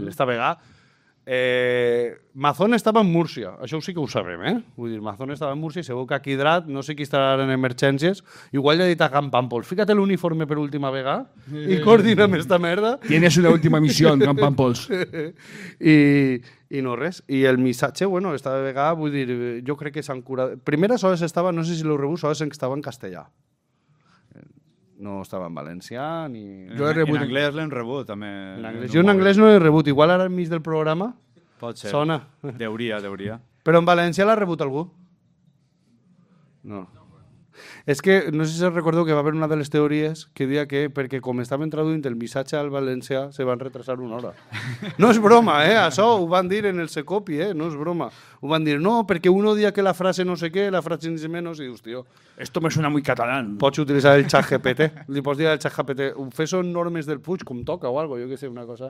esta vegada. Mazón estava en Múrcia, això sí que ho sabem, eh? Vull dir, Mazón estava en Múrcia i segur que aquí Drat, no sé qui estarà en emergències, igual li ha dit a Can Pàmpols, fíjate l'uniforme per última vegada i coordina'm esta merda. Tienes una última misión, Can Pàmpols. I no res. I el missatge, bueno, esta vegada, vull dir, jo crec que s'han curat. Primera sols estava, no sé si l'heu rebut, sols estava en castellà. No estava en valencià ni... Jo en anglès l'hem rebut, també. Jo en anglès no l'he rebut. Igual ara enmig del programa pot ser. Sona. Deuria. Però en valencià l'ha rebut algú? No. És que, no sé si recordeu que va haver una de les teories que deia que perquè com estaven traduint el missatge al valencià se van retrasar una hora. No és broma, això ho van dir en el Secopi, no és broma. Ho van dir, no, perquè uno dia que la frase no sé què, la frase ni menos, i dius, tio... Esto me suena muy catalán. Pots utilitzar el xat GPT. Li pots dir al xat GPT, fes són normes del Puig, com toca o algo, jo què sé, una cosa...